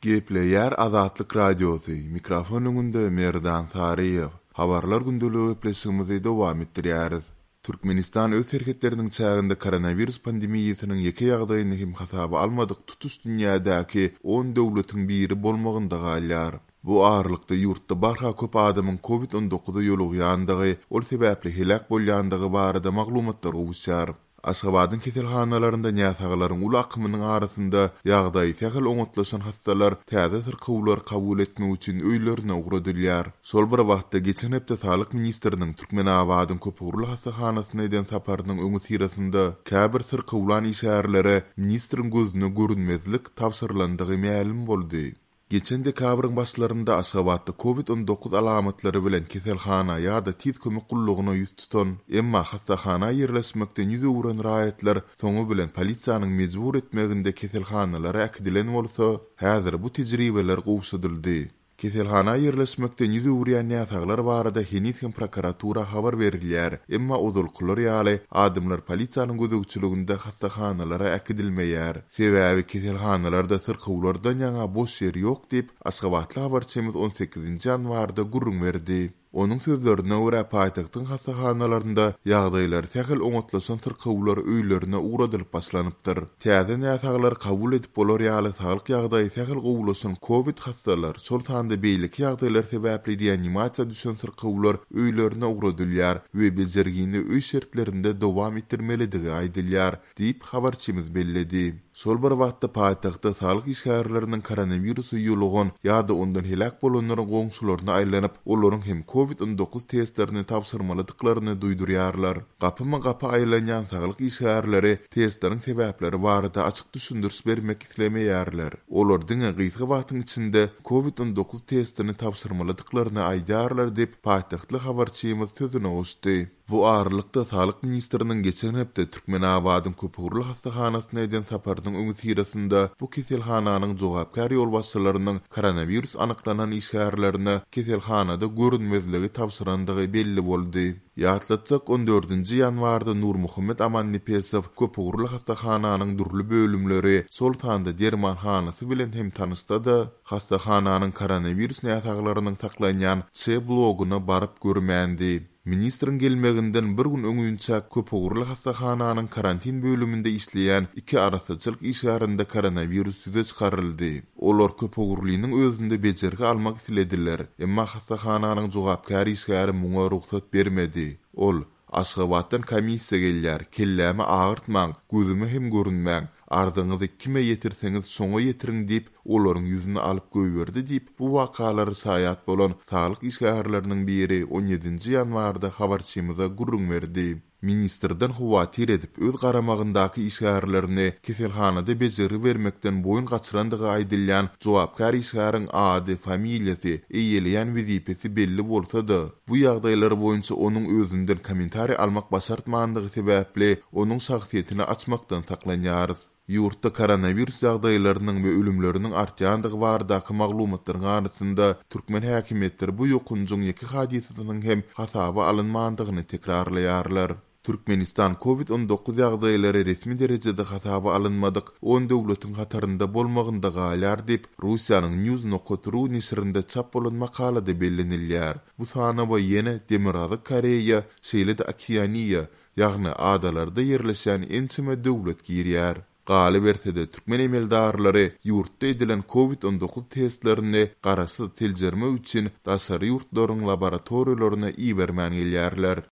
Gepleýär Azatlyk Radiosy, mikrofon öňünde Merdan Saryýew. Habarlar gündeligi gepleşigimizi dowam etdirýäris. Türkmenistan öz serhetleriniň çäginde koronawirus pandemiýasynyň ýeke ýagdaýyny hem hasaba almadyk tutuş dünýädäki on döwletiň biri bolmagynda galýar. Bu aralykda ýurtda barha köp adamyň covid on dokuza ýolugýandygy, ol sebäpli heläk bolýandygy barada maglumatlar gowuşýar. Aşgabadyň keselhanalarynda näsaglaryň uly akymynyň arasynda ýagdaýy sähel oňatlaşan hassalar täze syrkawlary kabul etmek üçin öýlerine ugradylýar. Şol bir wagtda, geçen hepde saglyk ministriniň Türkmenabadyň köpugurly hassahanasyna eden saparynyň öňüsyrasynda käbir syrkawlan işgärlere ministriň gözüne görünmezlik tabşyrylandygy mälim boldy. Geçen dekabryň başlarynda Aşgabatda covid 19 alamatlary bilen keselhana ýa-da tiz kömek gullugyna ýüz tutan, emma hassahana ýerleşmekden ýüz öwüren raýatlar soňy bilen polisiýanyň mejbur etmeginde keselhanalara äkidilen bolsa, häzir bu tejribeler gowşadyldy. Keselhana ýerleşmekden ýüz öwürýän näsaglar barada heniz hem prokuratura habar berilýär, emma ozalkylar ýaly, adamlar polisiýanyň gözegçiliginde hassahanalara äkidilmeýär. Sebäbi keselhanalarda syrkawlardan ýaňa boş ýer ýok diýip, aşgabatly habarçymyz on sekizinji ýanwarda gürrüň berdi. Onuň sözlerine görä, paýtagtyň hassahanalarynda ýagdaýlary sähel oňatlaşan syrkawlar öýlerine ugradylyp başlanypdyr. Täze näsaglary kabul edip bolar ýaly saglyk ýagdaýy sähel gowulaşan kowid hassalar, şol sanda beýleki ýagdaýlar sebäpli reanimasiýa düşen syrkawlar öýlerine ugradylýar we bejergini öý şertlerinde dowam etdirmelidigi aýdylýar. Diýip, habarçymyz belledi. Şol bir wagtda, paýtagtda saglyk işgärleriniň koronawirusa ýolugan ýa-da ondan heläk bolanlaryň goňşularyna aýlanyp, olaryň hem covid 19 testlerini tabşyrmalydyklaryny duýdurýarlar. Gapyma-gapy aýlanýan saglyk işgärleri testleriň sebäpleri barada açyk düşündiriş bermek islemeýärler. Olar diňe gysga wagtyň içinde covid 19 testini tabşyrmalydyklaryny aýdýarlar diýip, paýtagtly habarçymyz sözüne goşdy. Bu aralykda, saglyk ministriniň geçen hepde Türkmenabadyň köpugurly hassahanasyna eden saparynyň öňüsyrasynda bu keselhananyň jogapkär ýolbaşçylarynyň koronawirus anyklanan işgärlerine keselhanada görünmezligi tabşyrandygy belli boldy. Ýatlatsak, on dördünji ýanwarda Nurmuhammet Amannepesow köpugurly hassahananyň dürli bölümleri, şol sanda dermanhanasy bilen hem tanyşsa-da, hassahananyň koronawirus näsaglarynyň saklanýan C bloguna baryp görmändi. Ministriň gelmeginden bir gün öňinçä köpugurly hassahananyň karantin bölüminde işleýän iki arassaçylyk işgärinde koronawirus ýüze çykaryldy. Olar köpugurlynyň özünde bejergi almak islediler, emma hassahananyň jogapkär işgäri muňa rugsat bermedi. Ol, Aşgabatdan komissiýa gelýär, kellämi agyrtmaň, gözüme hem görünmäň, arzyňyzy kime ýetirseňiz şoňa ýetiriň diýip, olaryň ýüzüni alyp goýberdi diýip, bu wakalara şaýat bolan saglyk işgärleriniň biri on ýedinji ýanwarda habarçymyza gürrüň berdi. Ministrden howatyr edip, öz garamagyndaky işgärlerini keselhanada bejergi bermekden boýun gaçyrandygy aýdylýan jogapkär işgäriň ady, familiýasy, eýeleýän wezipesi belli bolsa-da, bu ýagdaýlar boýunça onuň özünden kommentariý almak başartmandygy sebäpli, onuň şahsyýetini açmakdan saklanýarys. Ýurtda koronawirus ýagdaýlarynyň we ölümleriniň artýandygy baradaky maglumatlaryň arasynda, türkmen häkimiýetleri bu ýokanjyň ýeke hadysasynyň hem hasaba alynmandygyny tekrarlaýarlar. Türkmenistan covid 19 ýagdaýlary resmi derejede hasaba alynmadyk on döwletiň hatarynda bolmagynda galýar diýip, Russiýanyň News nokat ru neşirinde çap bolan makalada bellenilýär. Bu sanawa ýene Demirgazyk Koreýa, şeýle-de Okeaniýa, ýagny adalarda ýerleşýän ençeme döwlet girýär. Galyberse-de, türkmen emeldarlary ýurtda edilen covid 19 testlerini garaşsyz seljermek üçin daşary ýurtlaryň laboratoriýalaryna ibermän gelýärler.